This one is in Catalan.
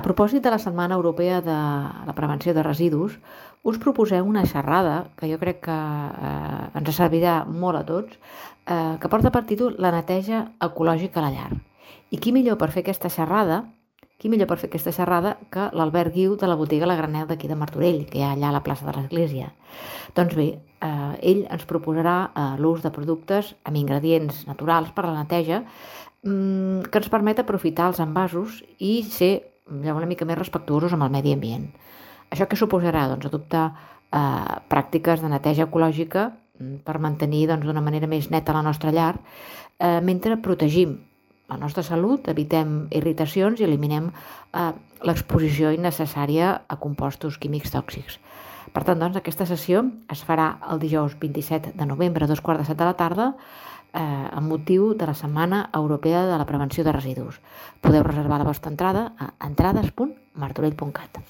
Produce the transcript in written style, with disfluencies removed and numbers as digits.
propòsit de la Setmana Europea de la Prevenció de Residus, us proposem una xerrada que jo crec que ens servirà molt a tots, que porta per títol La neteja ecològica a la llar. I qui millor per fer aquesta xerrada que l'Albert Guiu de la botiga La Granel d'aquí de Martorell, que hi ha allà a la plaça de l'Església. Doncs bé, ell ens proposarà l'ús de productes amb ingredients naturals per a la neteja que ens permet aprofitar els envasos i ser una mica més respectuosos amb el medi ambient. Això què suposarà? Doncs adoptar pràctiques de neteja ecològica per mantenir d'una manera més neta la nostra llar, mentre protegim la nostra salut, evitem irritacions i eliminem l'exposició innecessària a compostos químics tòxics. Per tant, aquesta sessió es farà el dijous 27 de novembre a 2:15 de la tarda amb motiu de la Setmana Europea de la Prevenció de Residus. Podeu reservar la vostra entrada a entrades.martorell.cat.